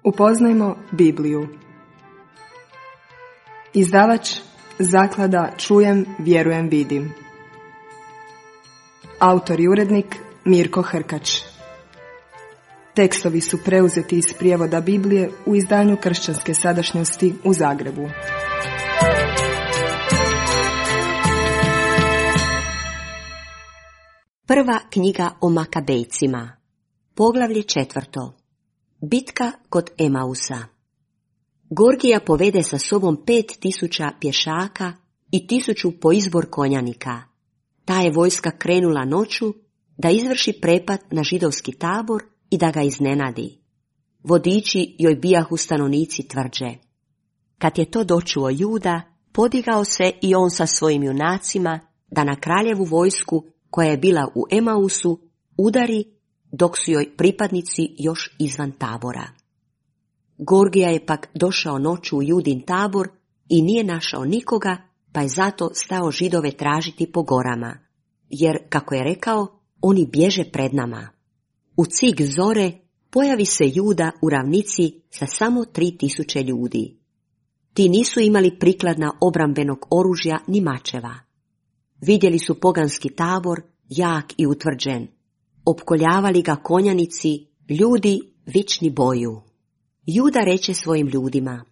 Upoznajmo Bibliju. Izdavač Zaklada Čujem, vjerujem, vidim. Autor i urednik Mirko Hrkač. Tekstovi su preuzeti iz prijevoda Biblije u izdanju Kršćanske sadašnjosti u Zagrebu. Prva knjiga o Makabejcima. Poglavlje 4. Bitka kod Emausa. Gorgija povede sa sobom 5000 pješaka i 1000 po izbor konjanika. Ta je vojska krenula noću da izvrši prepad na židovski tabor i da ga iznenadi. Vodiči joj bijahu stanovnici tvrđe. Kad je to dočuo Juda, podigao se i on sa svojim junacima da na kraljevu vojsku koja je bila u Emausu udari dok su joj pripadnici još izvan tabora. Gorgija je pak došao noću u Judin tabor i nije našao nikoga, pa je zato stao Židove tražiti po gorama, jer, kako je rekao, oni bježe pred nama. U cik zore pojavi se Juda u ravnici sa samo 3000 ljudi. Ti nisu imali prikladna obrambenog oružja ni mačeva. Vidjeli su poganski tabor, jak i utvrđen. Opkoljavali ga konjanici, ljudi vični boju. Juda reče svojim ljudima: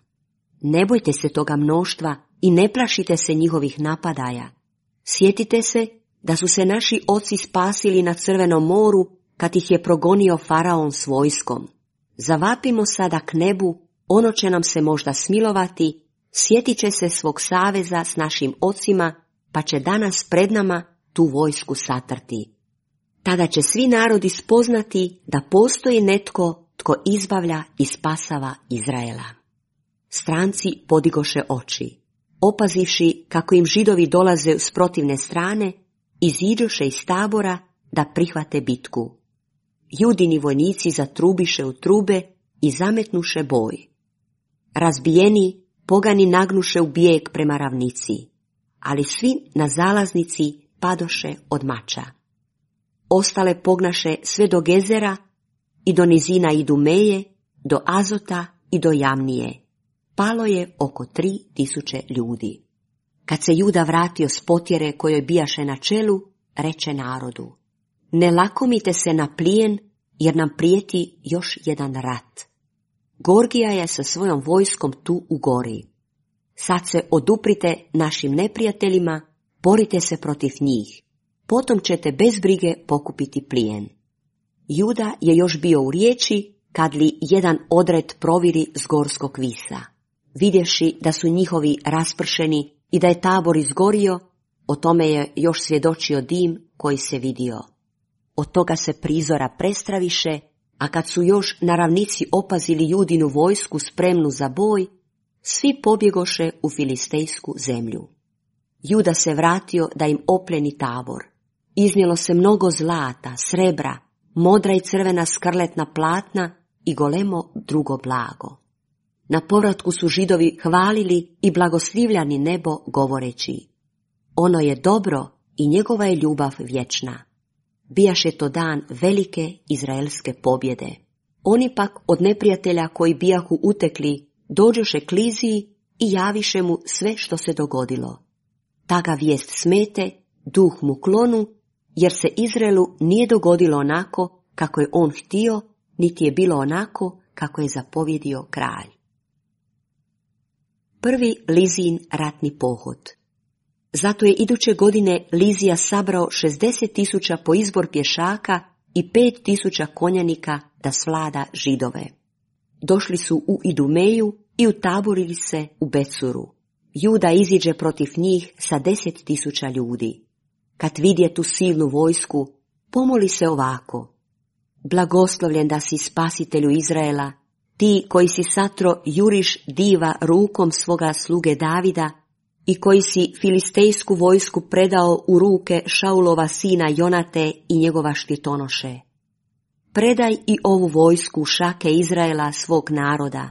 ne bojte se toga mnoštva i ne plašite se njihovih napadaja. Sjetite se da su se naši oci spasili na Crvenom moru kad ih je progonio faraon s vojskom. Zavapimo sada k nebu, ono će nam se možda smilovati, sjetit će se svog saveza s našim ocima, pa će danas pred nama tu vojsku satrti. Tada će svi narodi spoznati da postoji netko tko izbavlja i spasava Izraela. Stranci podigoše oči. Opazivši kako im Židovi dolaze s protivne strane, iziđoše iz tabora da prihvate bitku. Judini vojnici zatrubiše u trube i zametnuše boj. Razbijeni, pogani nagnuše u bijeg prema ravnici, ali svi na zalaznici padoše od mača. Ostale pognaše sve do Gezera i do nizina Idumeje, do Azota i do Jamnije. Palo je oko 3000 ljudi. Kad se Juda vratio s potjere kojoj bijaše na čelu, reče narodu: ne lakomite se na plijen, jer nam prijeti još jedan rat. Gorgija je sa svojom vojskom tu u gori. Sad se oduprite našim neprijateljima, borite se protiv njih. Potom ćete bez brige pokupiti plijen. Juda je još bio u riječi, kad li jedan odred proviri s gorskog visa. Vidjevši da su njihovi raspršeni i da je tabor izgorio, o tome je još svjedočio dim koji se vidio. Od toga se prizora prestraviše, a kad su još na ravnici opazili Judinu vojsku spremnu za boj, svi pobjegoše u filistejsku zemlju. Juda se vratio da im opljeni tabor. Iznijelo se mnogo zlata, srebra, modra i crvena skarletna platna i golemo drugo blago. Na povratku su Židovi hvalili i blagoslivljani nebo govoreći: ono je dobro i njegova je ljubav vječna. Bijaše to dan velike izraelske pobjede. Oni pak od neprijatelja koji bijahu utekli dođoše k Liziji i javiše mu sve što se dogodilo. Ta ga vijest smete, duh mu klonu, jer se Izraelu nije dogodilo onako kako je on htio, niti je bilo onako kako je zapovjedio kralj. Prvi Lizijin ratni pohod. Zato je iduće godine Lizija sabrao 60.000 po izbor pješaka i 5.000 konjanika da svlada Židove. Došli su u Idumeju i utaborili se u Becuru. Juda iziđe protiv njih sa 10.000 ljudi. Kad vidje tu silnu vojsku, pomoli se ovako: blagoslovljen da si spasitelju Izraela, ti koji si satro juriš diva rukom svoga sluge Davida i koji si filistejsku vojsku predao u ruke Šaulova sina Jonate i njegova štitonoše. Predaj i ovu vojsku u šake Izraela svog naroda.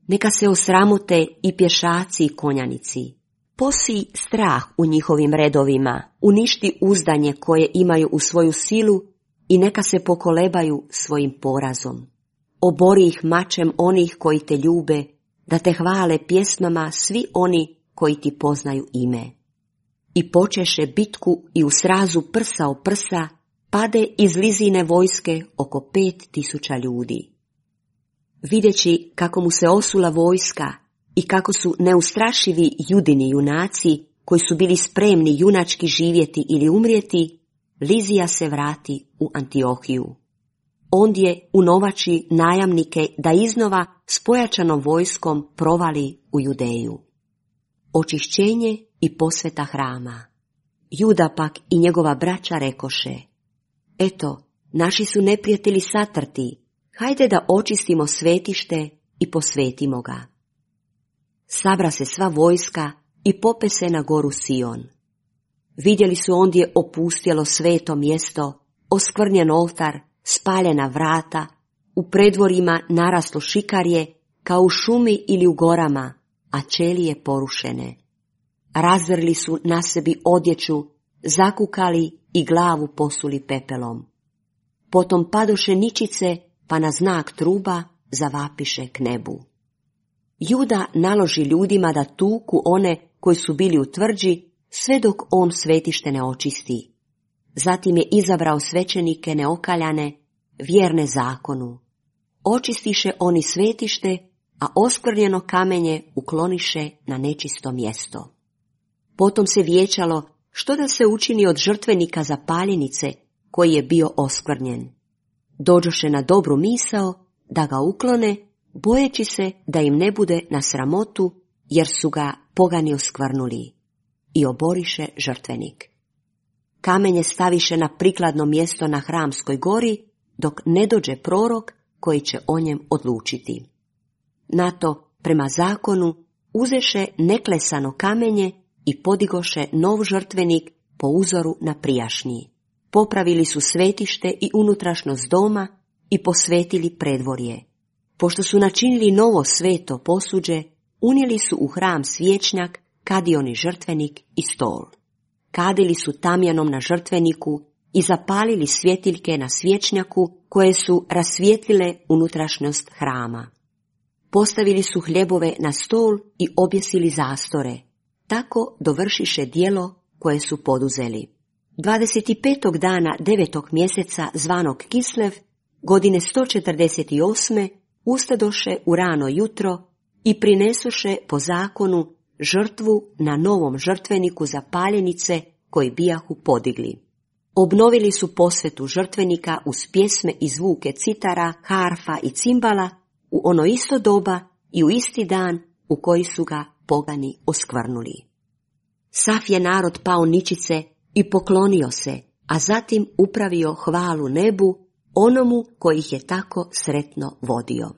Neka se osramote i pješaci i konjanici. Posij strah u njihovim redovima, uništi uzdanje koje imaju u svoju silu i neka se pokolebaju svojim porazom. obori ih mačem onih koji te ljube, da te hvale pjesmama svi oni koji ti poznaju ime. I počeše bitku i u srazu prsa o prsa, pade iz Lizine vojske oko 5.000 ljudi. Videći kako mu se osula vojska i kako su neustrašivi Judini junaci, koji su bili spremni junački živjeti ili umrijeti, Lizija se vrati u Antiohiju. Ondje unovači najamnike da iznova s pojačanom vojskom provali u Judeju. Očišćenje i posveta hrama. Juda pak i njegova braća rekoše: Eto, naši su neprijatelji satrti, hajde da očistimo svetište i posvetimo ga. Sabra se sva vojska i pope se na goru Sion. Vidjeli su ondje opustjelo sveto mjesto, oskvrnjen oltar, spaljena vrata, u predvorima naraslo šikarje, kao u šumi ili u gorama, a ćelije porušene. Razvrli su na sebi odjeću, zakukali i glavu posuli pepelom. Potom padoše ničice, pa na znak truba zavapiše k nebu. Juda naloži ljudima da tuku one koji su bili u tvrđi, sve dok on svetište ne očisti. Zatim je izabrao svećenike neokaljane, vjerne zakonu. Očistiše oni svetište, a oskvrnjeno kamenje ukloniše na nečisto mjesto. Potom se vijećalo što da se učini od žrtvenika za paljenice, koji je bio oskvrnjen. Dođoše na dobru misao da ga uklone, bojeći se da im ne bude na sramotu, jer su ga pogani oskvrnuli, i oboriše žrtvenik. Kamenje staviše na prikladno mjesto na Hramskoj gori, dok ne dođe prorok koji će o njem odlučiti. Na to, prema zakonu, uzeše neklesano kamenje i podigoše nov žrtvenik po uzoru na prijašnji. Popravili su svetište i unutrašnost doma i posvetili predvorje. Pošto su načinili novo sveto posuđe, unijeli su u hram svječnjak, kadioni žrtvenik i stol. Kadili su tamjanom na žrtveniku i zapalili svjetiljke na svječnjaku koje su rasvijetlile unutrašnjost hrama. Postavili su hljebove na stol i objesili zastore. Tako dovršiše djelo koje su poduzeli. 25. dana 9. mjeseca zvanog Kislev, godine 148. ustadoše u rano jutro i prinesuše po zakonu žrtvu na novom žrtveniku za paljenice koji bijahu podigli. Obnovili su posvetu žrtvenika uz pjesme i zvuke citara, harfa i cimbala u ono isto doba i u isti dan u koji su ga pogani oskvrnuli. Sav je narod pao ničice i poklonio se, a zatim upravio hvalu nebu, onomu koji ih je tako sretno vodio.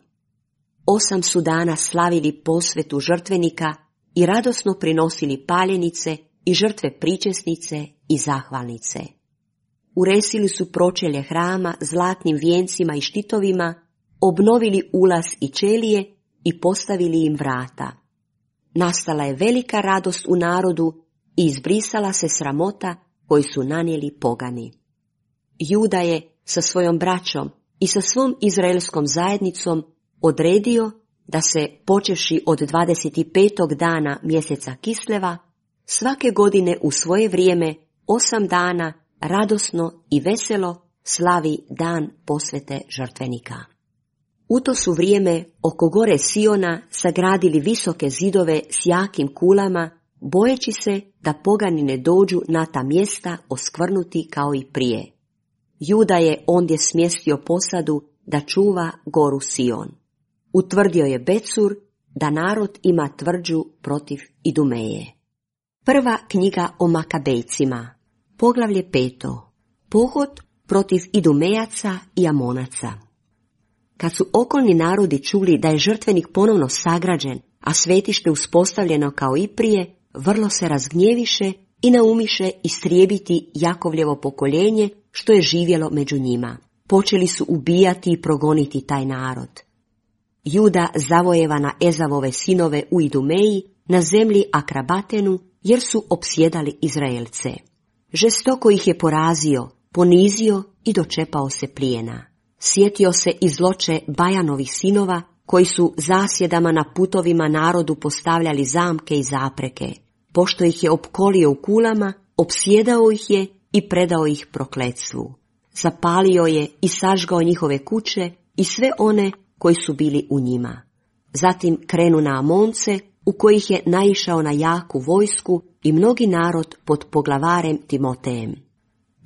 8 su dana slavili posvetu žrtvenika i radosno prinosili paljenice i žrtve pričesnice i zahvalnice. Uresili su pročelje hrama zlatnim vijencima i štitovima, obnovili ulaz i ćelije i postavili im vrata. Nastala je velika radost u narodu i izbrisala se sramota koju su nanijeli pogani. Juda je sa svojom braćom i sa svom izraelskom zajednicom odredio da se, počevši od 25. dana mjeseca Kisleva, svake godine u svoje vrijeme 8 dana radosno i veselo slavi dan posvete žrtvenika. U to su vrijeme oko gore Siona sagradili visoke zidove s jakim kulama, bojeći se da pogani ne dođu na ta mjesta oskvrnuti kao i prije. Juda je ondje smjestio posadu da čuva goru Sion. Utvrdio je Becur da narod ima tvrđu protiv Idumeje. Prva knjiga o Makabejcima, poglavlje 5. Pohod protiv Idumejaca i Amonaca. Kad su okolni narodi čuli da je žrtvenik ponovno sagrađen, a svetište uspostavljeno kao i prije, vrlo se razgnjeviše i naumiše istrijebiti Jakovljevo pokoljenje što je živjelo među njima. Počeli su ubijati i progoniti taj narod. Juda zavojeva na Ezavove sinove u Idumeji, na zemlji Akrabatenu, jer su opsjedali Izraelce. Žestoko ih je porazio, ponizio i dočepao se plijena. Sjetio se i zloče Bajanovih sinova, koji su zasjedama na putovima narodu postavljali zamke i zapreke. Pošto ih je opkolio u kulama, opsjedao ih je i predao ih prokletstvu. Zapalio je i sažgao njihove kuće i sve one koji su bili u njima. Zatim krenu na Amonce, u kojih je naišao na jaku vojsku i mnogi narod pod poglavarem Timotejem.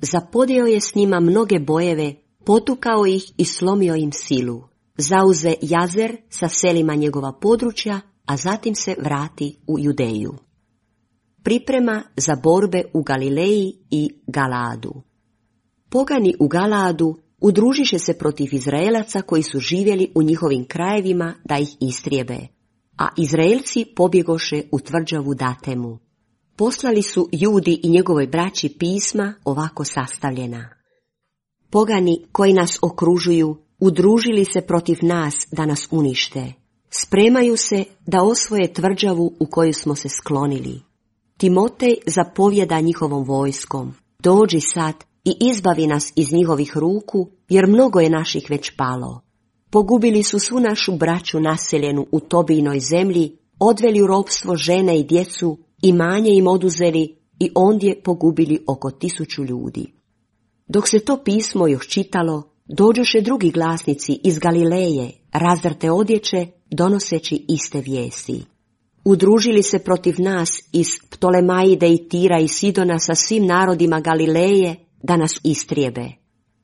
Zapodeo je s njima mnoge bojeve, potukao ih i slomio im silu. Zauze Jazer sa selima njegova područja, a zatim se vrati u Judeju. Priprema za borbe u Galileji i Galaadu. Pogani u Galaadu udružiše se protiv Izraelaca koji su živjeli u njihovim krajevima da ih istrijebe, a Izraelci pobjegoše u tvrđavu Datemu. Poslali su Judi i njegovoj braći pisma ovako sastavljena. Pogani koji nas okružuju udružili se protiv nas da nas unište. Spremaju se da osvoje tvrđavu u koju smo se sklonili. Timotej zapovjeda njihovom vojskom. Dođi sad i izbavi nas iz njihovih ruku, jer mnogo je naših već palo. Pogubili su svu našu braću naseljenu u Tobijinoj zemlji, odveli u ropstvo žene i djecu, imanje im oduzeli i ondje pogubili oko 1000 ljudi. Dok se to pismo još čitalo, dođoše drugi glasnici iz Galileje, razdrte odjeće, donoseći iste vijesti. Udružili se protiv nas iz Ptolemaide i Tira i Sidona sa svim narodima Galileje da nas istrijebe.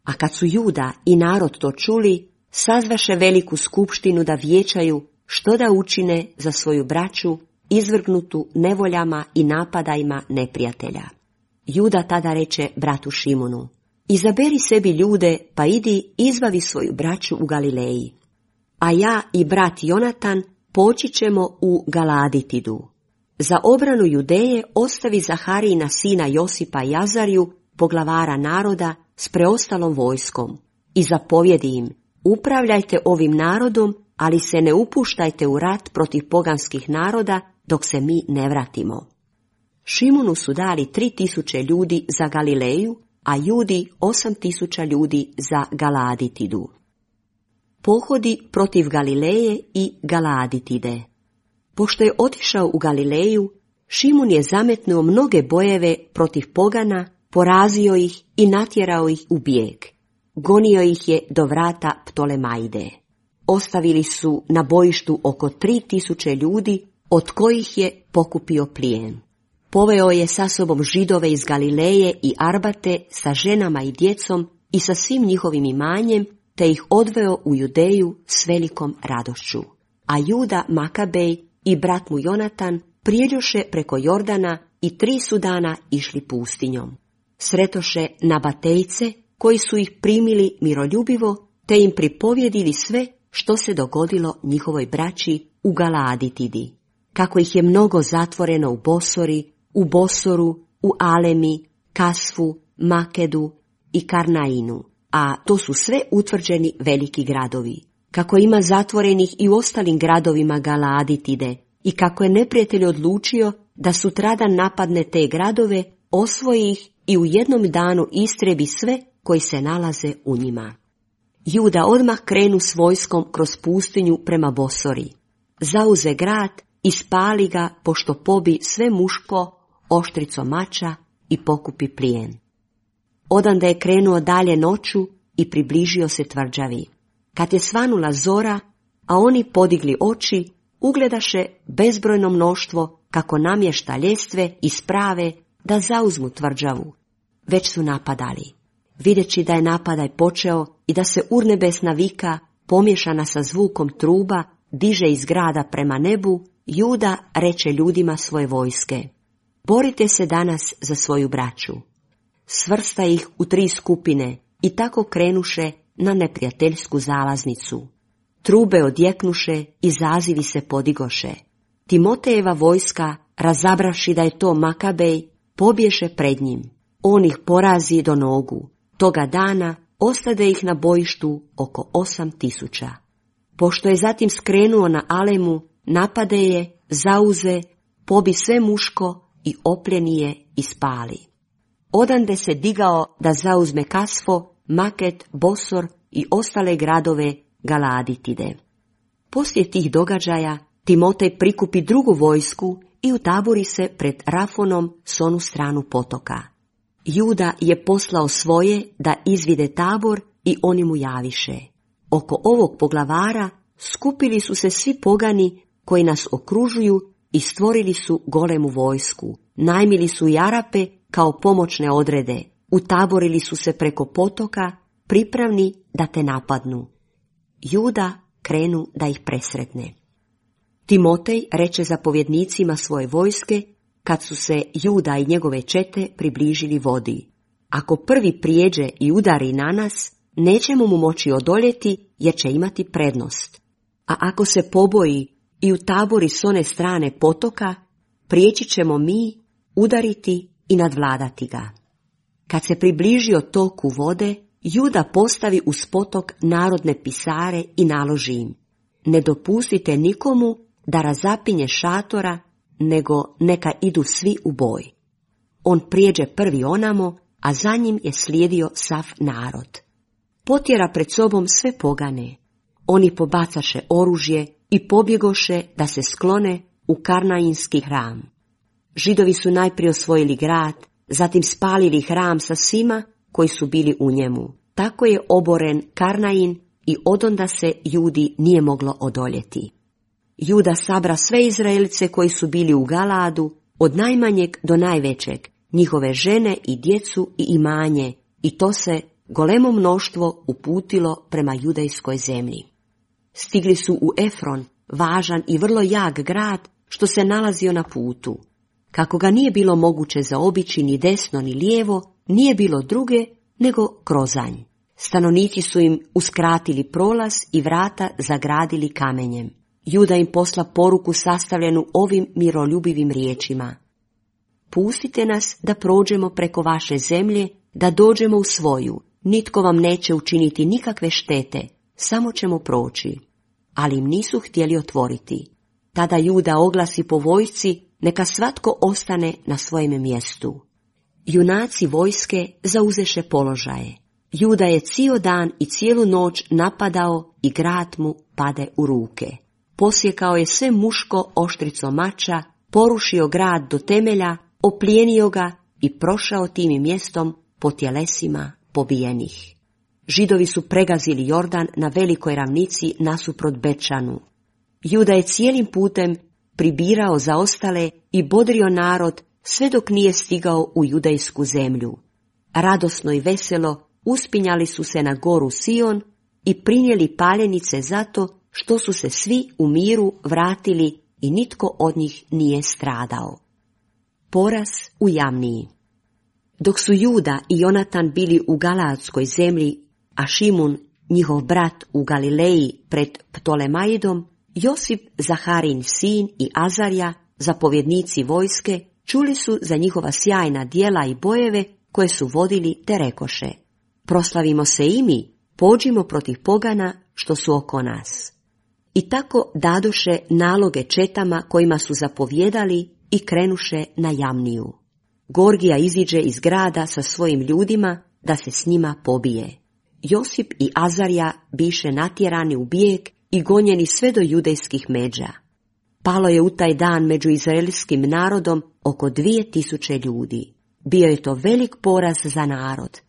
A kad su Juda i narod to čuli, sazvaše veliku skupštinu da vijećaju što da učine za svoju braću, izvrgnutu nevoljama i napadajima neprijatelja. Juda tada reče bratu Šimunu: izaberi sebi ljude, pa idi izbavi svoju braću u Galileji. A ja i brat Jonatan poći ćemo u Galaditidu. Za obranu Judeje ostavi Zaharijina sina Josipa i Azariju, poglavara naroda, s preostalom vojskom, i zapovjedi im: upravljajte ovim narodom, ali se ne upuštajte u rat protiv poganskih naroda dok se mi ne vratimo. Šimunu su dali 3000 ljudi za Galileju, a Judi 8000 ljudi za Galaditidu. Pohodi protiv Galileje i Galaditide. Pošto je otišao u Galileju, Šimun je zametnuo mnoge bojeve protiv pogana, porazio ih i natjerao ih u bijeg. Gonio ih je do vrata Ptolemaide. Ostavili su na bojištu oko 3000 ljudi, od kojih je pokupio plijen. Poveo je sa sobom Židove iz Galileje i Arbate sa ženama i djecom i sa svim njihovim imanjem, te ih odveo u Judeju s velikom radošću. A Juda Makabej i brat mu Jonatan prijeđoše preko Jordana i 3 su dana išli pustinjom. Sretoše Nabatejce, koji su ih primili miroljubivo, te im pripovjedili sve što se dogodilo njihovoj braći u Galaditidi. Kako ih je mnogo zatvoreno u Bosori, u Bosoru, u Alemi, Kasfu, Makedu i Karnainu, a to su sve utvrđeni veliki gradovi. Kako ima zatvorenih i u ostalim gradovima Galaditide i kako je neprijatelj odlučio da sutradan napadne te gradove, osvoji ih i u jednom danu istrebi sve koji se nalaze u njima. Juda odmah krenu s vojskom kroz pustinju prema Bosori. Zauze grad i spali ga, pošto pobi sve muško oštricom mača i pokupi plijen. Odande je krenuo dalje noću i približio se tvrđavi. Kad je svanula zora, a oni podigli oči, ugledaše bezbrojno mnoštvo kako namješta ljestve i sprave da zauzmu tvrđavu. Već su napadali. Videći da je napadaj počeo i da se urnebesna vika, pomiješana sa zvukom truba, diže iz grada prema nebu, Juda reče ljudima svoje vojske: borite se danas za svoju braću. Svrsta ih u 3 skupine i tako krenuše na neprijateljsku zalaznicu. Trube odjeknuše i zazivi se podigoše. Timotejeva vojska, razabravši da je to Makabej, pobješe pred njim. On ih porazi do nogu. Toga dana ostade ih na bojištu oko 8000. Pošto je zatim skrenuo na Alemu, napade je, zauze, pobi sve muško i opljeni je i spali. Odande se digao da zauzme Kasfo, Maket, Bosor i ostale gradove Galaditide. Poslije tih događaja Timotej prikupi drugu vojsku i utabori se pred Rafonom s onu stranu potoka. Juda je poslao svoje da izvide tabor i oni mu javiše. Oko ovog poglavara skupili su se svi pogani koji nas okružuju i stvorili su golemu vojsku. Najmili su i Arape kao pomoćne odrede. Utaborili su se preko potoka, pripravni da te napadnu. Juda krenu da ih presretne. Timotej reče zapovjednicima svoje vojske, kad su se Juda i njegove čete približili vodi. Ako prvi prijeđe i udari na nas, nećemo mu moći odoljeti jer će imati prednost. A ako se poboji i utabori s one strane potoka, prijeći ćemo mi, udariti i nadvladati ga. Kad se približio toku vode, Juda postavi uz potok narodne pisare i naloži im: ne dopustite nikomu da razapinje šatora, nego neka idu svi u boj. On prijeđe prvi onamo, a za njim je slijedio sav narod. Potjera pred sobom sve pogane. Oni pobacaše oružje i pobjegoše da se sklone u Karnainski hram. Židovi su najprije osvojili grad, zatim spalili hram sa svima koji su bili u njemu. Tako je oboren Karnain i odonda se Judi nije moglo odoljeti. Juda sabra sve Izraelice koji su bili u Galadu, od najmanjeg do najvećeg, njihove žene i djecu i imanje, i to se golemo mnoštvo uputilo prema judejskoj zemlji. Stigli su u Efron, važan i vrlo jak grad što se nalazio na putu. Kako ga nije bilo moguće zaobići ni desno ni lijevo, nije bilo druge nego krozanj. Stanovnici su im uskratili prolaz i vrata zagradili kamenjem. Juda im posla poruku sastavljenu ovim miroljubivim riječima: pustite nas da prođemo preko vaše zemlje, da dođemo u svoju. Nitko vam neće učiniti nikakve štete, samo ćemo proći. Ali im nisu htjeli otvoriti. Tada Juda oglasi po vojsci: neka svatko ostane na svojem mjestu. Junaci vojske zauzeše položaje. Juda je cijel dan i cijelu noć napadao i grad mu pade u ruke. Posjekao je sve muško oštricom mača, porušio grad do temelja, oplijenio ga i prošao tim mjestom po tjelesima pobijenih. Židovi su pregazili Jordan na velikoj ravnici nasuprot Bečanu. Juda je cijelim putem pribirao zaostale i bodrio narod sve dok nije stigao u judejsku zemlju. Radosno i veselo uspinjali su se na goru Sion i prinijeli paljenice zato što su se svi u miru vratili i nitko od njih nije stradao. Poraz u Jamniji. Dok su Juda i Jonatan bili u Galaadskoj zemlji, a Šimun, njihov brat, u Galileji pred Ptolemaidom, Josip, Zaharin sin i Azarja, zapovjednici vojske, čuli su za njihova sjajna djela i bojeve koje su vodili, te rekoše: proslavimo se i mi, pođimo protiv pogana što su oko nas. I tako dadoše naloge četama kojima su zapovjedali i krenuše na Jamniju. Gorgija iziđe iz grada sa svojim ljudima da se s njima pobije. Josip i Azarja biše natjerani u bijeg i gonjeni sve do judejskih međa. Palo je u taj dan među izraelskim narodom oko 2000 ljudi. Bio je to velik poraz za narod.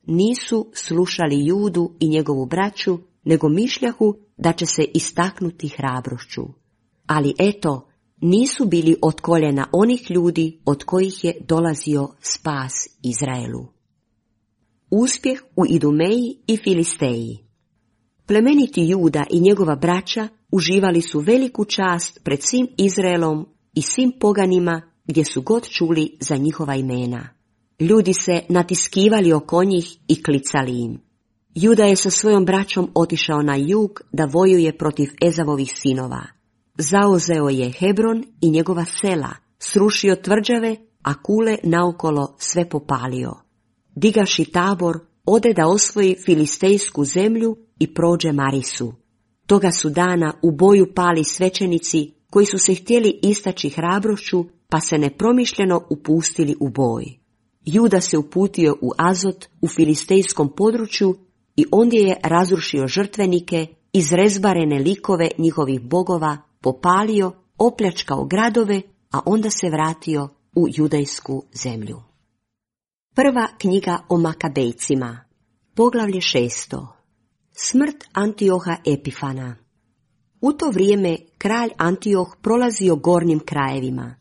Nisu slušali Judu i njegovu braću, nego mišljahu da će se istaknuti hrabrošću. Ali eto, nisu bili od koljena onih ljudi od kojih je dolazio spas Izraelu. Uspjeh u Idumeji i Filisteji. Plemeniti Juda i njegova braća uživali su veliku čast pred svim Izraelom i svim poganima gdje su god čuli za njihova imena. Ljudi se natiskivali oko njih i klicali im. Juda je sa svojom braćom otišao na jug da vojuje protiv Ezavovih sinova. Zauzeo je Hebron i njegova sela, srušio tvrđave, a kule naokolo sve popalio. Digaši tabor, ode da osvoji filistejsku zemlju i prođe Marisu. Toga su dana u boju pali svećenici koji su se htjeli istaći hrabrošću, pa se nepromišljeno upustili u boj. Juda se uputio u Azot u filistejskom području i ondje je razrušio žrtvenike, izrezbarene likove njihovih bogova, popalio, opljačkao gradove, a onda se vratio u judejsku zemlju. Prva knjiga o Makabejcima, poglavlje 6. Smrt Antioha Epifana. U to vrijeme kralj Antioh prolazio gornjim krajevima.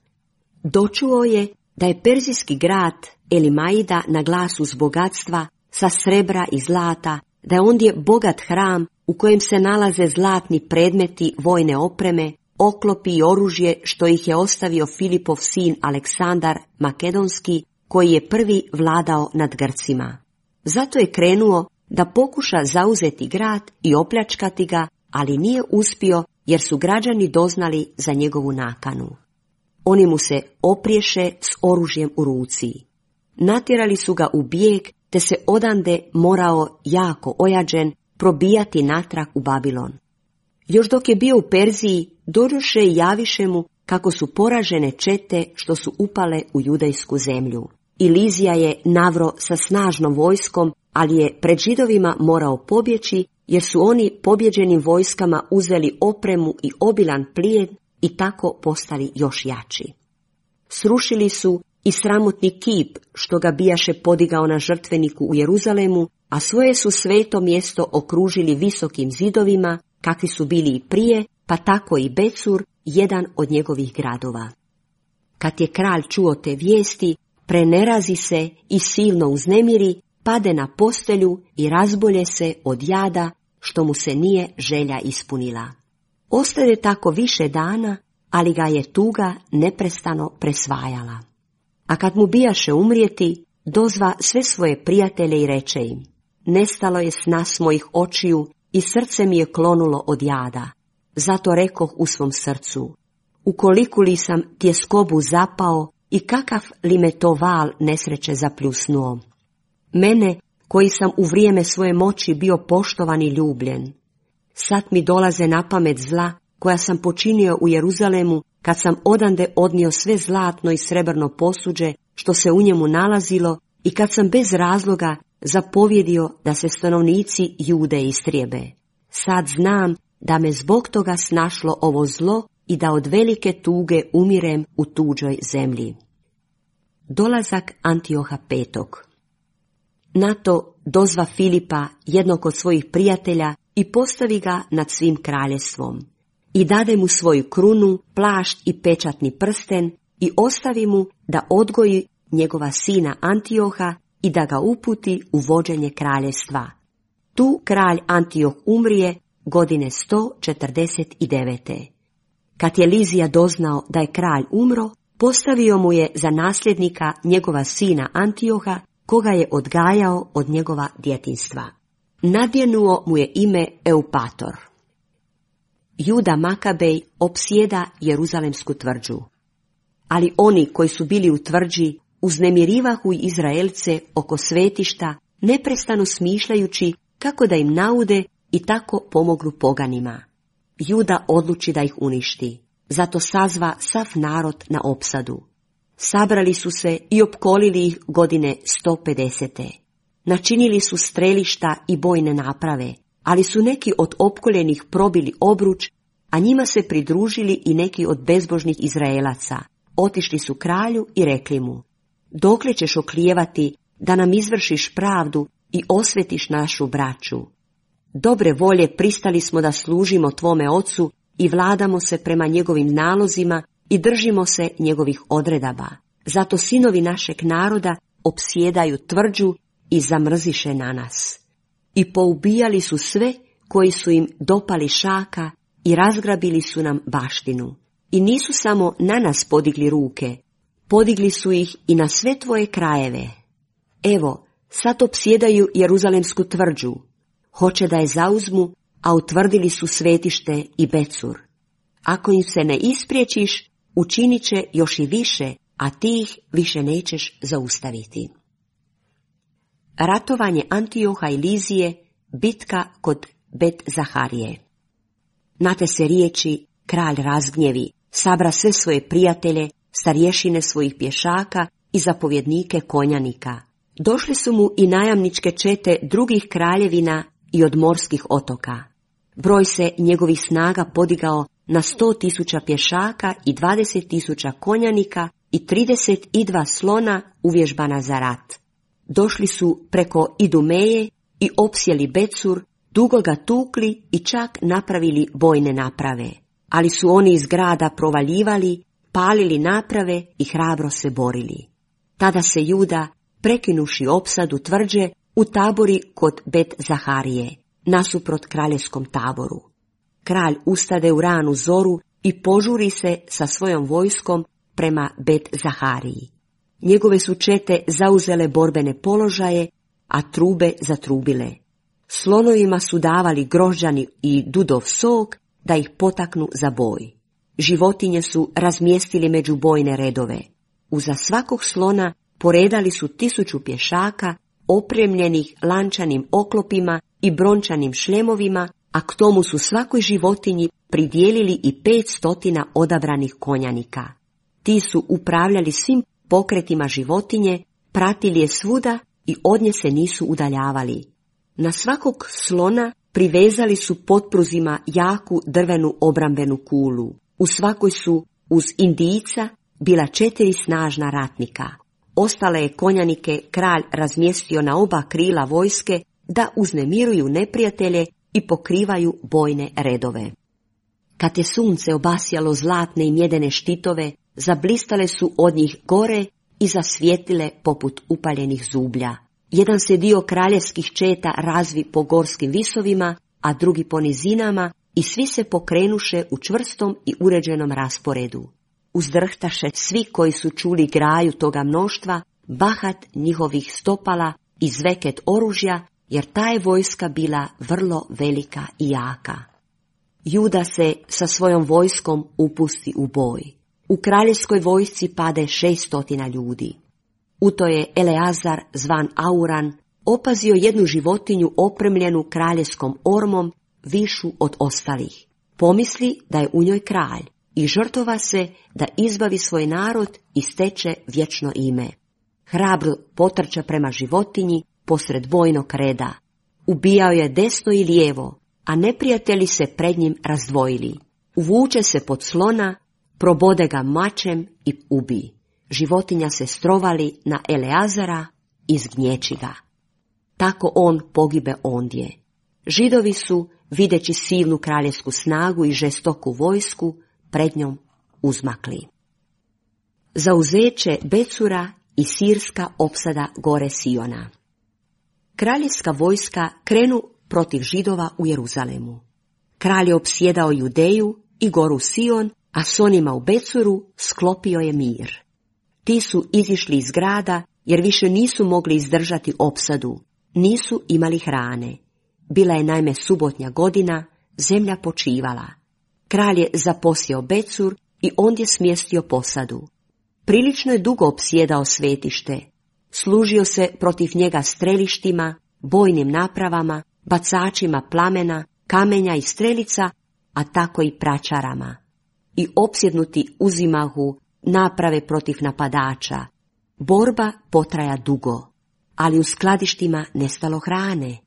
Dočuo je da je perzijski grad Elimaida na glasu s bogatstva, sa srebra i zlata, da je ondje bogat hram u kojem se nalaze zlatni predmeti vojne opreme, oklopi i oružje što ih je ostavio Filipov sin Aleksandar Makedonski, koji je prvi vladao nad Grcima. Zato je krenuo da pokuša zauzeti grad i opljačkati ga, ali nije uspio jer su građani doznali za njegovu nakanu. Oni mu se opriješe s oružjem u ruci. Natjerali su ga u bijeg, te se odande morao jako ojađen probijati natrag u Babilon. Još dok je bio u Perziji, dođoše i javiše mu kako su poražene čete što su upale u judejsku zemlju. I Lizija je navro sa snažnom vojskom, ali je pred Židovima morao pobjeći, jer su oni pobjeđenim vojskama uzeli opremu i obilan plijen i tako postali još jači. Srušili su i sramotni kip što ga bijaše podigao na žrtveniku u Jeruzalemu, a svoje su sveto mjesto okružili visokim zidovima, kakvi su bili i prije, pa tako i Becur, jedan od njegovih gradova. Kad je kralj čuo te vijesti, prenerazi se i silno uznemiri, pade na postelju i razbolje se od jada, što mu se nije želja ispunila. Ostade tako više dana, ali ga je tuga neprestano presvajala. A kad mu bijaše umrijeti, dozva sve svoje prijatelje i reče im: nestalo je sna s mojih očiju i srce mi je klonulo od jada. Zato rekoh u svom srcu: ukoliko li sam tjeskobu zapao i kakav li me to val nesreće zapljusnuo. Mene, koji sam u vrijeme svoje moći bio poštovan i ljubljen. Sad mi dolaze na pamet zla koja sam počinio u Jeruzalemu, kad sam odande odnio sve zlatno i srebrno posuđe što se u njemu nalazilo i kad sam bez razloga zapovjedio da se stanovnici Jude istrijebe. Sad znam da me zbog toga snašlo ovo zlo i da od velike tuge umirem u tuđoj zemlji. Dolazak Antioha V. Na to dozva Filipa, jednog od svojih prijatelja, i postavi ga nad svim kraljestvom. I dade mu svoju krunu, plašt i pečatni prsten i ostavi mu da odgoji njegova sina Antioha i da ga uputi u vođenje kraljevstva. Tu kralj Antioh umrije godine 149. Kad je Lizija doznao da je kralj umro, postavio mu je za nasljednika njegova sina Antioha, koga je odgajao od njegova djetinjstva. Nadjenuo mu je ime Eupator. Juda Makabej opsjeda Jeruzalemsku tvrđu. Ali oni koji su bili u tvrđi uznemirivahu Izraelce oko svetišta, neprestano smišljajući kako da im naude i tako pomognu poganima. Juda odluči da ih uništi, zato sazva sav narod na opsadu. Sabrali su se i opkolili ih godine 150. Načinili su strelišta i bojne naprave, ali su neki od opkoljenih probili obruč, a njima se pridružili i neki od bezbožnih Izraelaca. Otišli su kralju i rekli mu: dokle ćeš oklijevati da nam izvršiš pravdu i osvetiš našu braću? Dobre volje pristali smo da služimo tvome ocu i vladamo se prema njegovim nalozima i držimo se njegovih odredaba. Zato sinovi našeg naroda opsjedaju tvrđu i zamrziše na nas. I poubijali su sve koji su im dopali šaka i razgrabili su nam baštinu. I nisu samo na nas podigli ruke, podigli su ih i na sve tvoje krajeve. Evo, sad opsjedaju Jeruzalemsku tvrđu. Hoće da je zauzmu, a utvrdili su svetište i Becur. Ako im se ne ispriječiš, učinit će još i više, a ti ih više nećeš zaustaviti. Ratovanje Antioha i Lizije, bitka kod Bet Zaharije. Na te se riječi kralj razgnjevi, sabra sve svoje prijatelje, starješine svojih pješaka i zapovjednike konjanika. Došli su mu i najamničke čete drugih kraljevina i od morskih otoka. Broj se njegovih snaga podigao na 100.000 pješaka i 20.000 konjanika i 32 slona uvježbana za rat. Došli su preko Idumeje i opsjeli Becur, dugo ga tukli i čak napravili bojne naprave. Ali su oni iz grada provaljivali, palili naprave i hrabro se borili. Tada se Juda, prekinuši opsadu tvrđe, utabori kod Bet Zaharije, nasuprot kraljevskom taboru. Kralj ustade u ranu zoru i požuri se sa svojom vojskom prema Bet Zahariji. Njegove su čete zauzele borbene položaje, a trube zatrubile. Slonovima su davali grožđani i dudov sok da ih potaknu za boj. Životinje su razmjestili među bojne redove. Uza svakog slona poredali su 1000 pješaka, opremljenih lančanim oklopima i brončanim šljemovima, a k tomu su svakoj životinji pridijelili i 500 odabranih konjanika. Ti su upravljali svim pokretima životinje, pratili je svuda i od nje se nisu udaljavali. Na svakog slona privezali su potpruzima jaku drvenu obrambenu kulu. U svakoj su uz Indijca bila 4 snažna ratnika. Ostale je konjanike kralj razmjestio na oba krila vojske da uznemiruju neprijatelje i pokrivaju bojne redove. Kad je sunce obasjalo zlatne i mjedene štitove, zablistale su od njih gore i zasvijetlile poput upaljenih zublja. Jedan se dio kraljevskih četa razvi po gorskim visovima, a drugi po nizinama, i svi se pokrenuše u čvrstom i uređenom rasporedu. Uzdrhtaše svi koji su čuli graju toga mnoštva, bahat njihovih stopala i zveket oružja, jer ta je vojska bila vrlo velika i jaka. Juda se sa svojom vojskom upusti u boj. U kraljevskoj vojsci pade 600 ljudi. U to je Eleazar, zvan Auran, opazio jednu životinju opremljenu kraljevskom ormom, višu od ostalih. Pomisli da je u njoj kralj i žrtvova se da izbavi svoj narod i steče vječno ime. Hrabro potrča prema životinji posred bojnog reda. Ubijao je desno i lijevo, a neprijatelji se pred njim razdvojili. Uvuče se pod slona, probode ga mačem i ubi. Životinja se strovali na Eleazara i zgnječi ga. Tako on pogibe ondje. Židovi su, videći silnu kraljevsku snagu i žestoku vojsku, pred njom uzmakli. Zauzeće Becura i sirska opsada gore Siona. Kraljevska vojska krenu protiv Židova u Jeruzalemu. Kralj je opsjedao Judeju i goru Sion, a s onima u Becuru sklopio je mir. Ti su izišli iz grada jer više nisu mogli izdržati opsadu, nisu imali hrane. Bila je naime subotnja godina, zemlja počivala. Kralj je zaposjeo Becur i ondje smjestio posadu. Prilično je dugo opsjedao svetište. Služio se protiv njega strelištima, bojnim napravama, bacačima plamena, kamenja i strelica, a tako i pračarama. I opsjednuti uzimahu naprave protiv napadača. Borba potraja dugo, ali u skladištima nestalo hrane.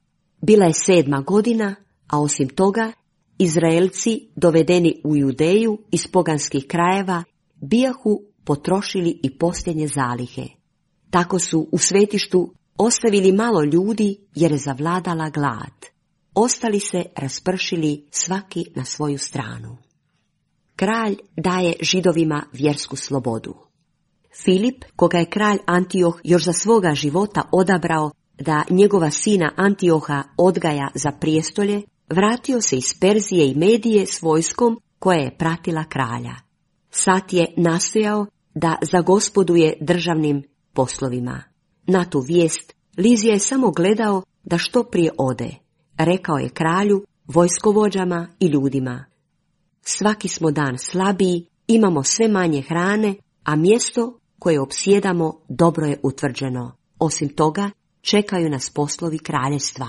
Bila je 7. godina, a osim toga, Izraelci, dovedeni u Judeju iz poganskih krajeva, bijahu potrošili i posljednje zalihe. Tako su u svetištu ostavili malo ljudi jer je zavladala glad. Ostali se raspršili svaki na svoju stranu. Kralj daje Židovima vjersku slobodu. Filip, koga je kralj Antioh još za svoga života odabrao da njegova sina Antioha odgaja za prijestolje, vratio se iz Perzije i Medije s vojskom koja je pratila kralja. Sad je nastojao da zagospoduje državnim poslovima. Na tu vijest Lizija je samo gledao da što prije ode. Rekao je kralju, vojskovođama i ljudima: svaki smo dan slabiji, imamo sve manje hrane, a mjesto koje opsjedamo dobro je utvrđeno. Osim toga, čekaju nas poslovi kraljevstva.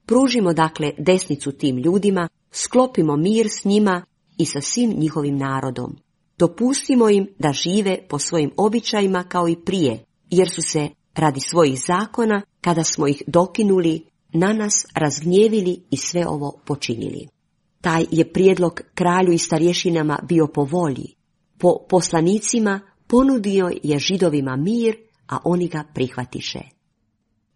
Pružimo dakle desnicu tim ljudima, sklopimo mir s njima i sa svim njihovim narodom. Dopustimo im da žive po svojim običajima kao i prije, jer su se radi svojih zakona, kada smo ih dokinuli, na nas razgnjevili i sve ovo počinili. Taj je prijedlog kralju i starješinama bio po volji. Po poslanicima ponudio je Židovima mir, a oni ga prihvatiše.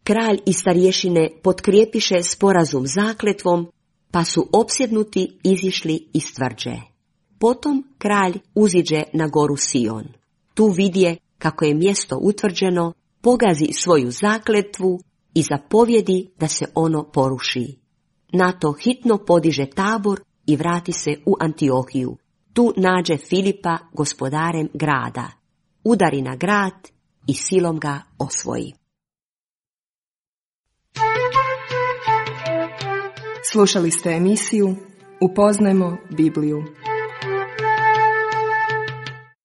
Kralj i starješine potkrijepiše sporazum zakletvom, pa su opsjednuti izišli iz tvrđe. Potom kralj uziđe na goru Sion. Tu vidje kako je mjesto utvrđeno, pogazi svoju zakletvu i zapovjedi da se ono poruši. Na to hitno podiže tabor i vrati se u Antiohiju. Tu nađe Filipa gospodarem grada, udari na grad i silom ga osvoji. Slušali ste emisiju Upoznajmo Bibliju.